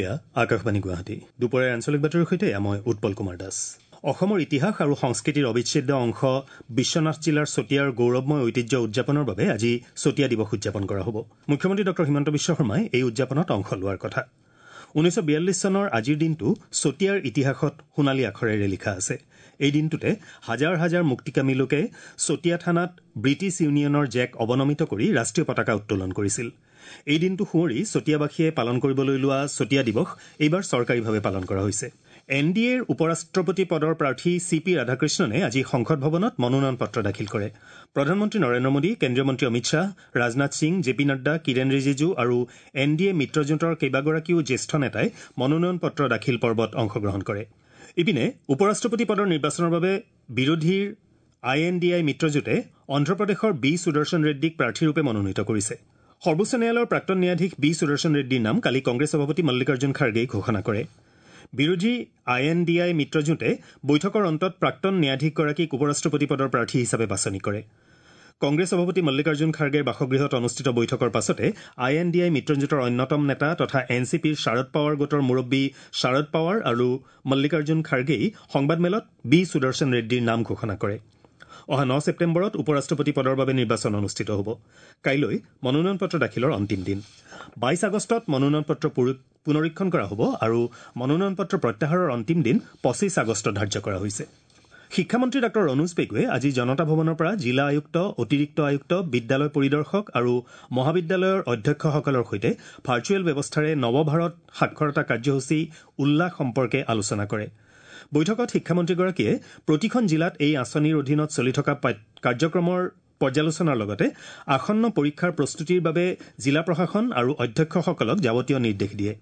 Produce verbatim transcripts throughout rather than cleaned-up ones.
এয়া আকাশবাণী গুৱাহাটী। দুপৰীয়াৰ আঞ্চলিক বাতৰিৰ সৈতে মই উৎপল কুমাৰ দাস। অসমৰ ইতিহাস আৰু সংস্কৃতিৰ অবিচ্ছেদ্য অংশ বিশ্বনাথ জিলাৰ চতিয়াৰ গৌৰৱময় ঐতিহ্য উদযাপনৰ বাবে আজি চতিয়া দিৱস উদযাপন কৰা হ'ব। মুখ্যমন্ত্ৰী ডঃ হিমন্ত বিশ্ব শৰ্মাই এই উদযাপনত অংশ লোৱাৰ কথা। ঊনৈছশ বিয়াল্লিছ চনৰ আজিৰ দিনটো চতিয়াৰ ইতিহাসত সোণালী আখৰেৰে লিখা আছে। এই দিনটোতে হাজাৰ হাজাৰ মুক্তিকামী লোকে চতিয়া থানাত ব্ৰিটিছ ইউনিয়নৰ জেক অৱনমিত কৰি ৰাষ্ট্ৰীয় পতাকা উত্তোলন কৰিছিল। এই দিনটো সুঁৱৰি চতিয়াবাসীয়ে পালন কৰিবলৈ লোৱা চতিয়া দিৱস এইবাৰ চৰকাৰীভাৱে পালন কৰা হৈছে। এন ডি এৰ উপ-ৰাষ্ট্ৰপতি পদৰ প্ৰাৰ্থী চি পি ৰাধাকৃষ্ণনে আজি সংসদ ভৱনত মনোনয়ন পত্ৰ দাখিল কৰে। প্ৰধানমন্ত্ৰী নৰেন্দ্ৰ মোদী, কেন্দ্ৰীয় মন্ত্ৰী অমিত শ্বাহ, ৰাজনাথ সিং, জে পি নাড্ডা, কিৰেণ ৰিজিজু আৰু এন ডি এ মিত্ৰজোঁটৰ কেইবাগৰাকীও জ্যেষ্ঠ নেতাই মনোনয়ন পত্ৰ দাখিল পৰ্বত অংশগ্ৰহণ কৰে। ইপিনে উপ-ৰাষ্ট্ৰপতি পদৰ নিৰ্বাচনৰ বাবে বিৰোধীৰ আই এন ডি আই মিত্ৰজোঁটে অন্ধ্ৰপ্ৰদেশৰ বি সুদৰ্শন ৰেড্ডীক প্ৰাৰ্থীৰূপে মনোনীত কৰিছে। সৰ্বোচ্চ ন্যায়ালয়ৰ প্ৰাক্তন ন্যায়াধীশ বি সুদৰ্শন ৰেড্ডীৰ নাম কালি কংগ্ৰেছ সভাপতি মল্লিকাৰ্জুন খাৰ্গেই ঘোষণা কৰে। বিৰোধী আই এন ডি আই মিত্ৰজোঁটে বৈঠকৰ অন্তত প্ৰাক্তন ন্যায়াধীশগৰাকীক উপ-ৰাষ্ট্ৰপতি পদৰ প্ৰাৰ্থী হিচাপে বাছনি কৰে। কংগ্ৰেছ সভাপতি মল্লিকাৰ্জুন খাৰ্গেৰ বাসগৃহত অনুষ্ঠিত বৈঠকৰ পাছতে আই এন ডি আই মিত্ৰজোঁটৰ অন্যতম নেতা তথা এন চি পিৰ শাৰদ পাৱাৰ গোটৰ মুৰব্বী শাৰদ পাৱাৰ আৰু মল্লিকাৰ্জুন খাৰ্গেই সংবাদমেলত বি সুদৰ্শন ৰেড্ডীৰ নাম ঘোষণা কৰে। অহা ন ছেপ্টেম্বৰত উপ-ৰাষ্ট্ৰপতি পদৰ বাবে নিৰ্বাচন অনুষ্ঠিত হ'ব। কাইলৈ মনোনয়ন পত্ৰ দাখিলৰ অন্তিম দিন। বাইছ আগষ্টত মনোনয়ন পত্ৰ পুনৰীক্ষণ কৰা হ'ব আৰু মনোনয়ন পত্ৰ প্ৰত্যাহাৰৰ অন্তিম দিন পঁচিছ আগষ্ট ধাৰ্য কৰা হৈছে। শিক্ষামন্ত্ৰী ডাঃ ৰণোজ পেগুৱে আজি জনতা ভৱনৰ পৰা জিলা আয়ুক্ত, অতিৰিক্ত আয়ুক্ত, বিদ্যালয় পৰিদৰ্শক আৰু মহাবিদ্যালয়ৰ অধ্যক্ষসকলৰ সৈতে ভাৰ্চুৱেল ব্যৱস্থাৰে নৱভাৰত সাক্ষৰতা কাৰ্যসূচী উল্লাস সম্পৰ্কে আলোচনা কৰে। বৈঠকত শিক্ষামন্ত্ৰীগৰাকীয়ে প্ৰতিখন জিলাত এই আঁচনিৰ অধীনত চলি থকা কাৰ্যক্ৰমৰ পৰ্যালোচনাৰ লগতে আসন্ন পৰীক্ষাৰ প্ৰস্তুতিৰ বাবে জিলা প্ৰশাসন আৰু অধ্যক্ষসকলক যাৱতীয় নিৰ্দেশ দিয়ে।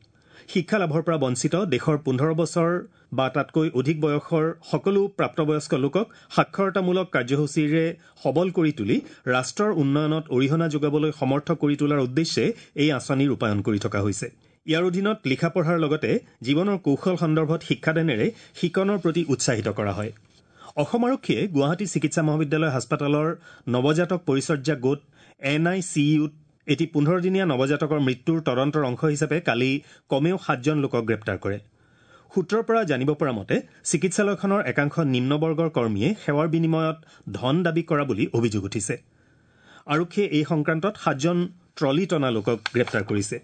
শিক্ষা লাভৰ পৰা বঞ্চিত দেশৰ পোন্ধৰ বছৰ বা তাতকৈ অধিক বয়সৰ সকলো প্ৰাপ্তবয়স্ক লোকক সাক্ষৰতামূলক কাৰ্যসূচীৰে সবল কৰি তুলি ৰাষ্ট্ৰৰ উন্নয়নত অৰিহণা যোগাবলৈ সমৰ্থ কৰি তোলাৰ উদ্দেশ্যে এই আঁচনি ৰূপায়ণ কৰি থকা হৈছে। ইয়াৰ অধীনত লিখা পঢ়াৰ লগতে জীৱনৰ কৌশল সন্দৰ্ভত শিক্ষাদানেৰে শিকনৰ প্ৰতি উৎসাহিত কৰা হয়। অসম আৰক্ষীয়ে গুৱাহাটী চিকিৎসা মহাবিদ্যালয় হাস্পতালৰ নৱজাতক পৰিচৰ্যা গোট এন I C ইউত এটি পোন্ধৰদিনীয়া নৱজাতকৰ মৃত্যুৰ তদন্তৰ অংশ হিচাপে কালি কমেও সাতজন লোকক গ্ৰেপ্তাৰ কৰে। সূত্ৰৰ পৰা জানিব পৰা মতে চিকিৎসালয়খনৰ একাংশ নিম্নবৰ্গৰ কৰ্মীয়ে সেৱাৰ বিনিময়ত ধন দাবী কৰা বুলি অভিযোগ উঠিছে। আৰক্ষীয়ে এই সংক্ৰান্তত সাতজন ট্ৰলী টনা লোকক গ্ৰেপ্তাৰ কৰিছে।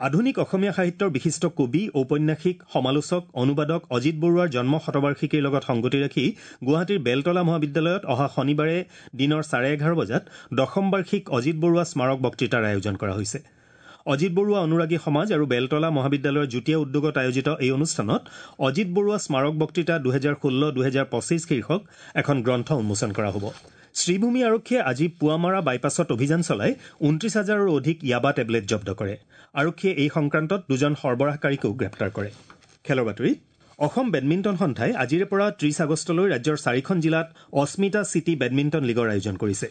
আধুনিক অসমীয়া সাহিত্যৰ বিশিষ্ট কবি, ঔপন্যাসিক, সমালোচক, অনুবাদক অজিত বৰুৱাৰ জন্ম শতবাৰ্ষিকীৰ লগত সংগতি ৰাখি গুৱাহাটীৰ বেলতলা মহাবিদ্যালয়ত অহা শনিবাৰে দিনৰ চাৰে এঘাৰ বজাত দশম বাৰ্ষিক অজিত বৰুৱা স্মাৰক বক্তৃতাৰ আয়োজন কৰা হৈছে। অজিত বৰুৱা অনুৰাগী সমাজ আৰু বেলতলা মহাবিদ্যালয়ৰ যুটীয়া উদ্যোগত আয়োজিত এই অনুষ্ঠানত অজিত বৰুৱা স্মাৰক বক্তৃতা দুহেজাৰ ষোল্ল দুহেজাৰ পঁচিছ শীৰ্ষক এখন গ্ৰন্থ উন্মোচন কৰা হ'ব। শ্ৰীভূমি আৰক্ষীয়ে আজি পুৱামাৰা বাইপাছত অভিযান চলাই ঊনত্ৰিছ হাজাৰৰো অধিক য়াবা টেবলেট জব্দ কৰে। আৰক্ষীয়ে এই সংক্ৰান্তত দুজন সৰবৰাহকাৰীকো গ্ৰেপ্তাৰ কৰে। খেলৰ বাতৰি। অসম বেডমিণ্টন সন্থাই আজিৰে পৰা ত্ৰিছ আগষ্টলৈ ৰাজ্যৰ চাৰিখন জিলাত অস্মিতা চিটি বেডমিণ্টন লীগৰ আয়োজন কৰিছে।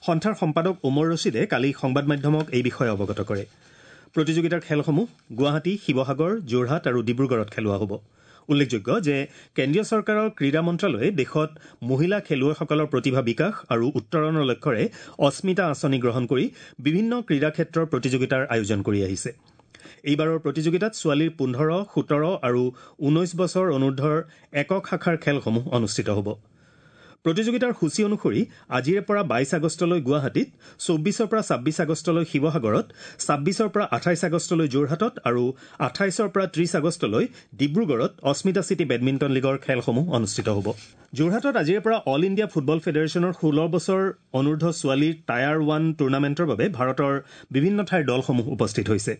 সন্থাৰ সম্পাদক ওমৰ ৰছিদে কালি সংবাদ মাধ্যমক এই বিষয়ে অৱগত কৰে। প্ৰতিযোগিতাৰ খেলসমূহ গুৱাহাটী, শিৱসাগৰ, যোৰহাট আৰু ডিব্ৰুগড়ত খেলোৱা হ'ব। উল্লেখযোগ্য যে কেন্দ্ৰীয় চৰকাৰৰ ক্ৰীড়া মন্ত্ৰালয়ে দেশত মহিলা খেলুৱৈসকলৰ প্ৰতিভা বিকাশ আৰু উত্তৰণৰ লক্ষ্যৰে অস্মিতা আঁচনি গ্ৰহণ কৰি বিভিন্ন ক্ৰীড়া ক্ষেত্ৰৰ প্ৰতিযোগিতাৰ আয়োজন কৰি আহিছে। এইবাৰৰ প্ৰতিযোগিতাত ছোৱালীৰ পোন্ধৰ, সোতৰ আৰু ঊনৈছ বছৰ অনুৰ্ধৰ একক শাখাৰ খেলসমূহ অনুষ্ঠিত হ'ব। প্ৰতিযোগিতাৰ সূচী অনুসৰি আজিৰে পৰা বাইছ আগষ্টলৈ গুৱাহাটীত, চৌব্বিছৰ পৰা ছাব্বিছ আগষ্টলৈ শিৱসাগৰত, ছাব্বিছৰ পৰা আঠাইছ আগষ্টলৈ যোৰহাটত আৰু আঠাইছৰ পৰা ত্ৰিছ আগষ্টলৈ ডিব্ৰুগড়ত অস্মিতা চিটি বেডমিণ্টন লীগৰ খেলসমূহ অনুষ্ঠিত হ'ব। যোৰহাটত আজিৰে পৰা অল ইণ্ডিয়া ফুটবল ফেডাৰেশ্যনৰ ষোল্ল বছৰ অনুৰ্ধ ছোৱালীৰ টায়াৰ ওৱান টুৰ্ণামেণ্টৰ বাবে ভাৰতৰ বিভিন্ন ঠাইৰ দলসমূহ উপস্থিত হৈছে।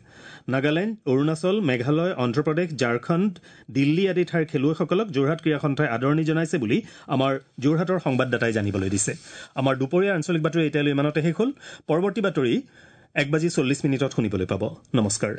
নাগালেণ্ড, অৰুণাচল, মেঘালয়, অন্ধ্ৰপ্ৰদেশ, ঝাৰখণ্ড, দিল্লী আদি ঠাইৰ খেলুৱৈসকলক যোৰহাট ক্ৰীড়া সন্থাই আদৰণি জনাইছে বুলি আমাৰ যোৰহাটৰ সংবাদদাতাই জানিবলৈ দিছে। আমাৰ দুপৰীয়া আঞ্চলিক বাতৰি এতিয়ালৈ ইমানতে শেষ হ'ল। পৰৱৰ্তী বাতৰি এক বাজি চল্লিছ মিনিটত শুনিবলৈ পাব। নমস্কাৰ।